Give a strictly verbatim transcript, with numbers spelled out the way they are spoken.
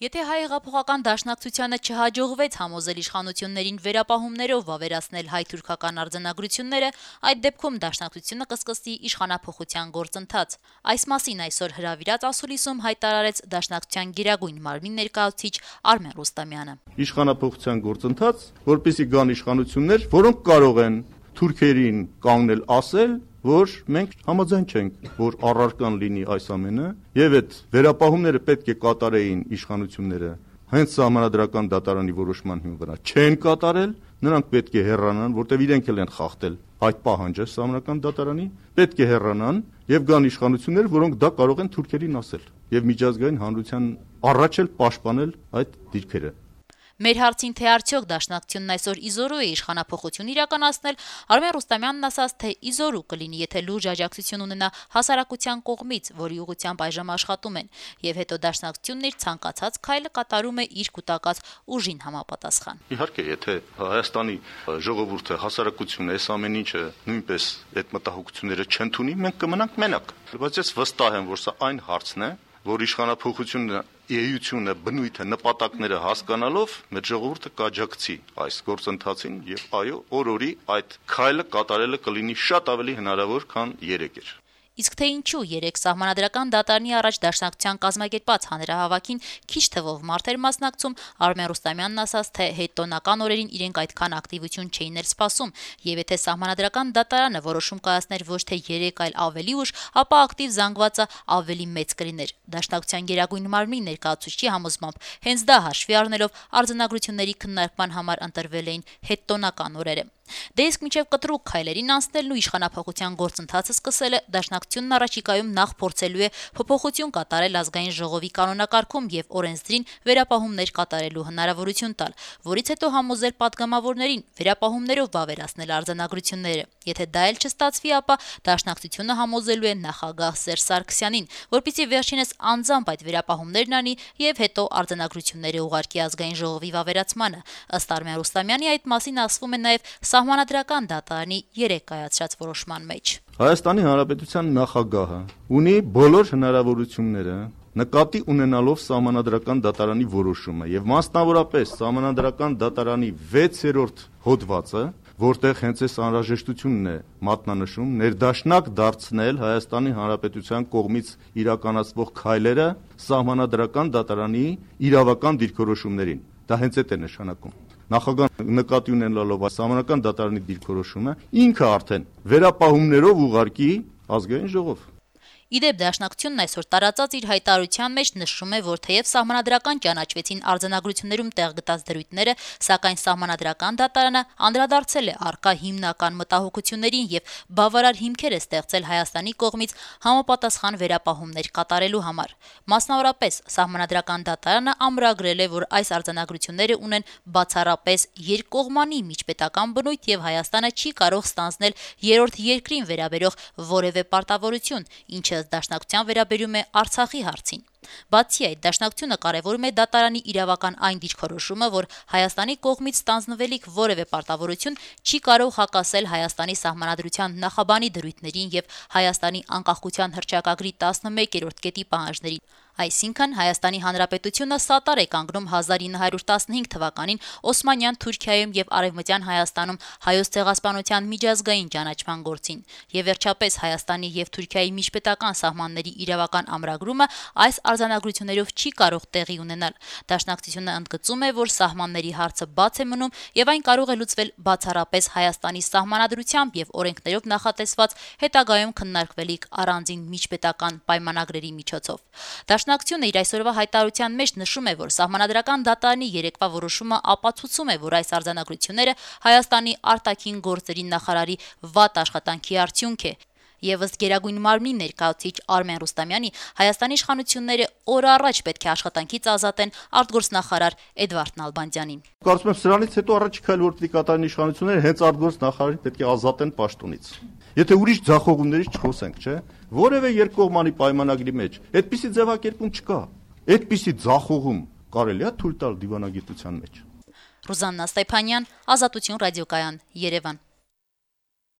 Եթե հայ հեղափոխական դաշնակցությանը չհաջողվեց համոզել իշխանություններին վերապահումներով վավերացնել հայ-թուրքական արձանագրությունները, այդ դեպքում դաշնակցությունը կսկսի իշխանափոխության գործընթաց։ Այս մասին այսօր հրավիրած ասուլիսում հայտարարեց դաշնակցության գերագույն մարմնի ներկայացուցիչ Արմեն Ռուստամյանը։ Իշխանափոխության գործընթաց, որպեսզի գան իշխանություններ, որոնք կարող են թուրքերին կանգնել ասել, որ մենք համաձայն չենք, որ առարկան լինի այս ամենը, եւ այդ վերապահումները պետք է կատարեին իշխանությունները հենց սահմանադրական դատարանի որոշման հիման վրա չեն կատարել, նրանք պետք է հեռանան, որտեղ իրենք էլ են խախտել այդ պահանջը սահմանադրական դատարանի, պետք է հեռանան եւ գան իշխանություններ, որոնք դա կարող են թուրքերին ասել եւ միջազգային հանրության առաջ էլ պաշտպանել այդ դիրքերը։ Մեր հարցին, թե արդյոք դաշնակցությունն այսօր իզորու է իշխանափոխություն իրականացնել, Արմեն Ռուստամյանն ասաց, թե իզորու կլինի, եթե լուրջ աջակցություն ունենա հասարակության կողմից, որի ուղղությամբ այժմ աշխատում են, եւ հետո դաշնակցությունն իր ցանկացած քայլը կատարում է իր կուտակած ուժին համապատասխան։ Իհարկե, եթե Հայաստանի ժողովուրդը, հասարակությունը այս ամեն ինչը նույնպես այդ մտահոգությունները չընդունի, մենք կմնանք մենակ։ Բայց ես վստահ եմ, որ սա այն հարցն է, որ իշխանափոխությունը էությունը, բնույթը, նպատակները հասկանալով մեր ժողովուրդը կաջակցի այս գործընթացին եւ այո, օր-օրի այդ քայլը կատարելը կլինի շատ ավելի հնարավոր, քան երեկ էր։ Իսկ թե ինչու երեք սահմանադրական դատարանի առաջ դաշնակցության կազմակերպած հանրահավաքին քիչ թվով մարդ էր մասնակցում, Արմեն Ռուստամյանն ասաց, թե հետոնական օրերին իրենք այդքան ակտիվություն չէին էլ սպասում, եւ եթե սահմանադրական դատարանը որոշում կայացներ ոչ թե երեք, այլ ավելի ուշ, ապա ակտիվ զանգվածը ավելի մեծ կլիներ։ Դաշնակցության գերագույն մարմնի ներկայացուցիչի համոզմամբ հենց դա հաշվի առնելով արձանագրությունների քննարկման համար ընտրվել էին հետոնական օրերը։ Դե իսկ մինչև կտրուկ քայլերին անցնելն ու իշխանափոխության գործընթացը սկսելը դաշնակցությունն առաջիկայում նախ փորձելու է փոփոխություն կատարել ազգային ժողովի կանոնակարգում եւ օրենսդրին վերապահումներ կատարելու հնարավորություն տալ, որից հետո համոզել падգամավորներին վերապահումներով վավերացնել արձանագրությունները։ Եթե դա էլ չստացվի, ապա դաշնակցությունը համոզելու է նախագահ Սերժ Սարգսյանին, որպեսզի վերջինս անձամբ այդ վերապահումներն անի եւ հետո արձանագրությունները ուղարկի ազգային ժողովի վավերացմանը։ Ըստ Արմեն Ռուստամյանի այդ մասին ասվում է նաեւ Սահմանադրական դատարանի երեք կայացրած որոշման մեջ։ Հայաստանի Հանրապետության նախագահը ունի բոլոր հնարավորությունները նկատի ունենալով Սահմանադրական դատարանի որոշումը եւ մասնավորապես Սահմանադրական դատարանի վեցերորդ հոդվածը, որտեղ հենց այս անհրաժեշտությունն է մատնանշում ներդաշնակ դարձնել Հայաստանի Հանրապետության կողմից իրականացվող քայլերը Սահմանադրական դատարանի իրավական դիրքորոշումներին։ Դա հենց այդ է նշանակում։ Նախագահ նկատի ունենալով սահմանադրական դատարանի դիրքորոշումը ինքը արդեն վերապահումներով ուղարկի ազգային ժողով։ Իդեպ դաշնակցությունն այսօր տարածած իր հայտարարության մեջ նշում է, որ թեև սահմանադրական ճանաչվեցին արձանագրություններում տեղ գտած դրույթները, սակայն սահմանադրական դատարանը անդրադարձել է առկա հիմնական մտահոգություններին եւ բավարար հիմքեր է ստեղծել Հայաստանի կողմից համապատասխան վերապահումներ կատարելու համար։ Մասնավորապես սահմանադրական դատարանը ամրագրել է, որ այս արձանագրությունները ունեն բացառապես երկկողմանի միջպետական բնույթ եւ Հայաստանը չի կարող ստանձնել երրորդ երկրին վերաբերող որևէ պարտավորություն, ինչը դաշնակցության վերաբերում է Արցախի հարցին։ Բացի այդ, դաշնակցությունը կարևորում է դատարանի իրավական այն դիրքորոշումը, որ Հայաստանի կողմից ստանձնվելիք որևէ պարտավորություն չի կարող հակասել Հայաստանի սահմանադրության նախաբանի դրույթներին եւ Հայաստանի անկախության հռչակագրի տասնմեկերորդ կետի պահանջներին։ Այսինքն Հայաստանի Հանրապետությունը սատար է կանգնում հազար ինը հարյուր տասնհինգ թվականին Օսմանյան Թուրքիայում եւ Արևմտյան Հայաստանում հայոց ցեղասպանության միջազգային ճանաչման գործին։ Եվ վերջապես Հայաստանի եւ Թուրքիայի միջպետական սահմանների իրավական ամրագրումը այս արձանագրություններով չի կարող տեղի ունենալ։ Դաշնակցությունը ընդգծում է, որ սահմանների հարցը բաց է մնում եւ այն կարող է լուծվել բացառապես Հայաստանի սահմանադրությամբ եւ օրենքներով նախատեսված հետագայում քննարկվելիք առանձին միջպետական պայմանագրերի միջոցով։ Դաշնակցությունը իր այսօրվա հայտարարության մեջ նշում է, որ սահմանադրական դատարանի երեկվա որոշումը ապացուցում է, որ այս արձանագրությունները Հայաստանի արտաքին գործերի նախարարի վատ աշխատանքի արդյունք է։ Եվ ըստ գերագույն մարմնի ներկայացուցիչ Արմեն Ռուստամյանի, Հայաստանի իշխանությունները օր առաջ պետք է աշխատանքից ազատեն արտգործնախարար Էդվարդ Նալբանդյանին։ Կարծում եմ սրանից հետո առաջի քայլ որ պետք է կատարեն իշխանությունները հենց արտգործնախարարին պետք է ազատեն պաշտոնից։ Եթե ուրիշ ձախողումներից չխոսենք, չէ՞, որևէ երկկողմանի պայմանագրի մեջ այդպիսի ձևակերպում չկա։ Այդպիսի ձախողում կարելի է թույլ տալ դիվանագիտության մեջ։ Ռուզաննա Ստեփանյան, Ազատություն ռադիոկայան, Երևան։